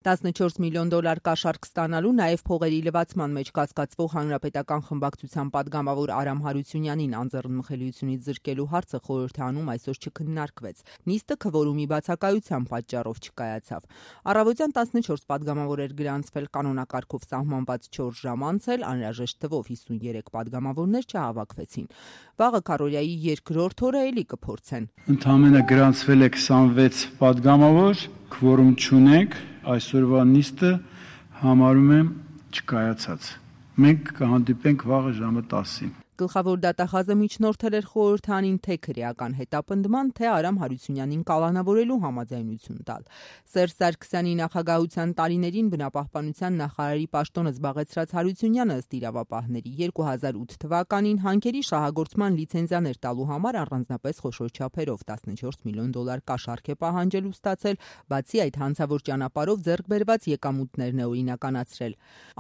$14 միլիոն կաշառք ստանալու, նաև փողերի լվացման մեջ կասկածվող հանրապետական խմբակցության պատգամավոր Արամ Հարությունյանին անձեռնմխելիությունից զրկելու հարցը խորհրդի անում այսօր չքննարկվեց։ Նիստը քվորումի բացակայության պատճառով չկայացավ։ Առավոտյան 14 պատգամավոր էր գրանցվել, կանոնակարգով սահմանված 4 ժամ անցել, անհրաժեշտ թվով 53 պատգամավորներ չհավաքվեցին։ Վաղը քարոզիայի երկրորդ օրը էլի կփորձեն։ Ընդամենը գրանցվել է 26 պատգամավոր, քվորում չունենք, այսօրվա նիստը համարում եմ չկայացած։ Մենք կհանդիպենք վաղը ժամը 10-ին։ Գլխավոր դատախազը միջնորդել էր խորհրդանին թե քրեական հետապնդման, թե Արամ Հարությունյանին կալանավորելու համաձայնություն տալ։ Սերժ Սարգսյանի նախագահության տարիներին բնապահպանության նախարարի պաշտոնը զբաղեցրած Հարությունյանը ըստ իրավապահների 2008 թվականին հանքերի շահագործման լիցենզիաներ տալու համար առանձնապես խոշոր չափերով $14 միլիոն կաշառք է պահանջել ու ստացել, բացի այդ հանցավոր ճանապարհով ձեռք բերված եկամուտներն է օրինականացրել։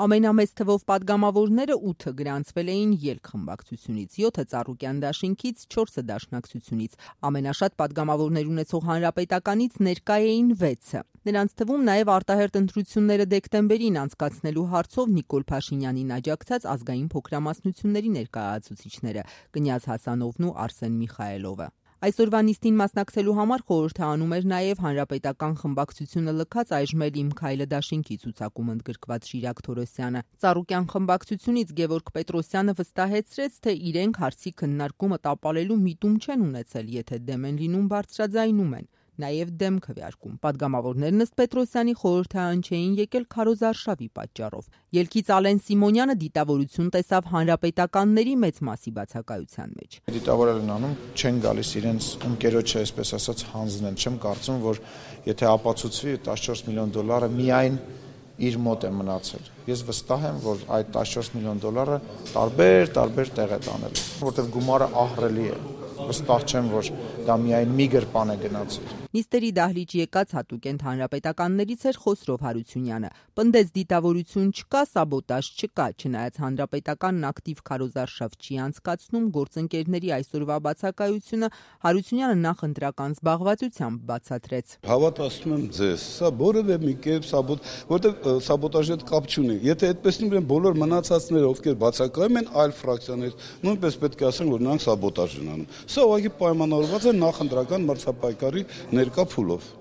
Ամենամեծ թվով պատգամավորները 8 գրանցվել էին ելք խմբակցությունից, 7-ը Ծառուկյան դաշինքից, 4-ը Դաշնակցությունից։ Ամենաշատ պատգամավորներ ունեցող Հանրապետականից ներկա էին 6-ը։ Նրանց թվում նաև արտահերթ ընտրությունները դեկտեմբերին անցկացնելու հարցով Նիկոլ Փաշինյանին աջակցած ազգային փոքրամասնությունների ներկայացուցիչները Կնյազ Հասանովն ու Արսեն Միխայելովը։ Այսօրվա նիստին մասնակցելու համար խորհրդը անում էր նաև հանրապետական խմբակցությունը լքած այժմ էլ Իմ քայլը դաշինքի ցուցակում ընդգրկված Շիրակ Թորոսյանը։ Ծառուկյան խմբակցությունից Գևորգ Պետրոսյանը վստահեցրեց, թե իրենք հարցի քննարկումը տապալելու միտում չեն ունեցել, եթե դեմ են լինում բարձրաձայնում են։ Նաև դեմ քվեարկում։ Պատգամավորներն ըստ Պետրոսյանի խորհրդարան չէին եկել քարոզարշավի պատճառով։ Ելքից Ալեն Սիմոնյանը դիտավորություն տեսավ հանրապետականների մեծ մասի բացակայության մեջ։ Դիտավորել են անում, չեն գալիս իրենց ընկերոջը, այսպես ասած, հանձնել։ Չեմ կարծում, որ եթե ապացուցվի $14 միլիոն միայն իր մոտ է մնացել։ Ես վստահ եմ, որ այդ $14 միլիոն տարբեր տեղ է տանել, որտեղ գումարը ահռելի է։ Վստահ չեմ, որ դա միայն մի գրպան է գնացել։ Նիստերի դահլիճ եկած հատուկենտ հանրապետականներից էր Խոսրով Հարությունյանը։ Պնդեց դիտավորություն չկա, սաբոտաժ չկա, չնայած հանրապետականն ակտիվ քարոզարշավ չի անցկացնում, գործընկերների այսօրվա բացակայությունը Հարությունյանը նախընտրական զբաղվածությամբ բացատրեց։ Հավատացնում եմ ձեզ, սա որևէ մի կերպ որտեղ սաբոտաժի հետ կապ չունի։ Եթե այդպես լինի, բոլոր մնացածները, ովքեր բացակայում են այլ ֆրակցիաներից, նույնպես պետք է ասեն, որ նրանք սաբոտաժ են անում։ Սա ուղղակի պայմանավորված է նախընտրական մրցապայքարի ներկա փուլով։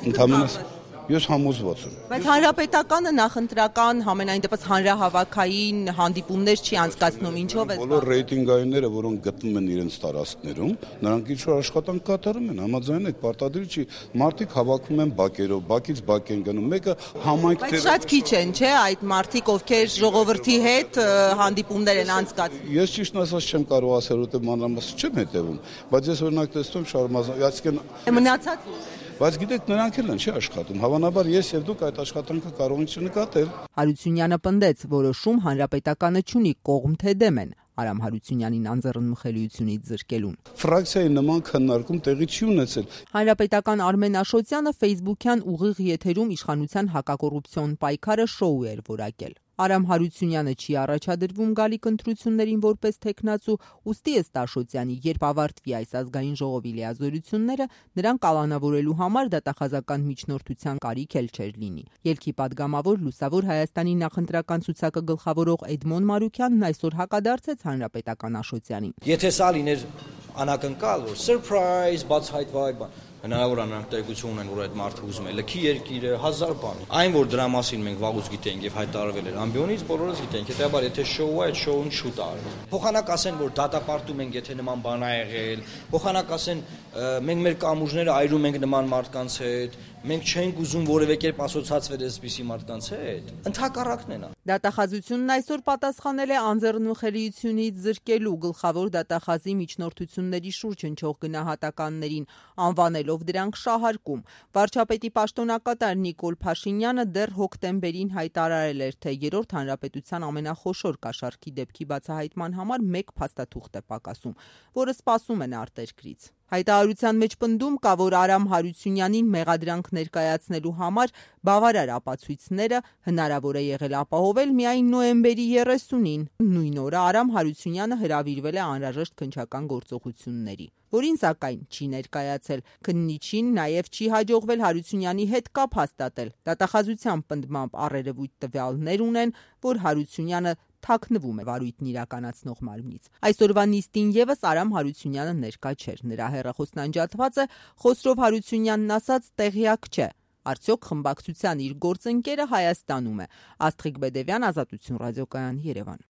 Ընդհանրապես ես համոզված եմ։ Բայց հանրապետականը նախընտրական համենայն դեպս հանրահավաքային հանդիպումներ չի անցկացնում, ինչով է։ Բոլոր ռեյտինգայինները, որոնք գտնվում են իրենց տարածքներում, նրանք ինչ-որ աշխատանք կատարում են, համաձայն եք, պարտադիր չի, մարդիկ հավաքում են բակերով, բակից բակ են գնում, մեկը համայնք Բայց շատ քիչ են, չէ՞, այդ մարդիկ, ովքեր ժողովրդի հետ հանդիպումներ են անցկացնում։ Ես ճիշտ ասած չեմ կարող ասել, որտեղ մանրամասն չեմ հետևում, բայց ես օրինակ տեսնում շարունակում, այսինքն մնացած Բայց գիտեք, նրանք էլ են չի աշխատում։ Հավանաբար ես եւ դուք այդ աշխատանքը կարող եք չնկատել։ Հարությունյանը պնդեց, որոշում հանրապետականը չունի կողմ թե դեմ են Արամ Հարությունյանին անձեռնմխելիությունից զրկելուն։ Ֆրակցիայի նման քննարկում տեղի չի ունեցել։ Հանրապետական Արմեն Աշոտյանը Facebook-յան ուղիղ եթերում իշխանության հակակոռուպցիոն պայքարը շոու էր որակել։ Արամ Հարությունյանը չի առաջադրվում գալիք ընտրություններին որպես թեկնածու, ուստի ըստ Աշոտյանի, երբ ավարտվի այս ազգային ժողովի լիազորությունները, նրան կալանավորելու համար դատախազական միջնորդության կարիք էլ չէր լինի։ Ելքի պատգամավոր Լուսավոր Հայաստանի նախընտրական ցուցակը գլխավորող Էդմոն Մարուքյանն այսօր հակադարձեց հանրապետական Աշոտյանին։ Եթե սա լիներ անակնկալ, որ surprise, բացահայտվող բան, հնարավոր է նրանք տեղեկություն ունեն, որ այդ մարդը ուզում է լքի երկիրը, 1000 բան։ Այն, որ դրա մասին մենք վաղուց գիտենք եւ հայտարարվել էր ամբիոնից, բոլորս գիտենք։ Հետեւաբար, եթե շոու է, այդ շոուն շուտ է արվում։ Փոխանակ ասեն, որ դատապարտում ենք, եթե նման բան ա եղել։ Փոխանակ ասեն, մենք մեր կամուրջները այրում ենք նման մարդկանց հետ։ Մենք չենք ուզում որևէ կերպ ասոցացվել այսպիսի մարդկանց հետ։ Ընդհակառակն է նա։ Դատախազությունն այսօր պատասխանել է անձեռնմխելիությունից զրկելու գլխավոր դատախազի միջնորդությունների շուրջ հնչող գնահատականներին, անվանելով դրանք շահարկում։ Վարչապետի պաշտոնակատար Նիկոլ Փաշինյանը դեռ հոկտեմբերին հայտարարել էր, թե երրորդ հանրապետության ամենախոշոր կաշառքի դեպքի բացահայտման համար 1 փաստաթուղթ է պակասում, որը սպասում են արտերկրից։ Հայտարարության մեջ պնդում կա, որ Արամ Հարությունյանին մեղադրանք ներկայացնելու համար բավարար ապացույցները հնարավոր է եղել ապահովել միայն նոյեմբերի 30-ին։ Նույն օրը Արամ Հարությունյանը հրավիրվել է անհրաժեշտ քննչական գործողությունների, որին սակայն չի ներկայացել։ Քննիչին նաև չի հաջողվել Հարությունյանի հետ կապ հաստատել։ Դատախազության պնդմամբ առերևույթ տվյալներ ունեն, որ Հարությունյանը թաքնվում է վարույթն իրականացնող մարմնից։ Այսօրվա նիստին եւս Արամ Հարությունյանը ներկա չէր։ Նրա հեռախոսն անջատված է, Խոսրով Հարությունյանն ասաց տեղյակ չէ։ Արդյոք խմբակցության իր գործընկերը Հայաստանում է։ Աստղիկ Բեդևյան, Ազատություն ռադիոկայան, Երևան։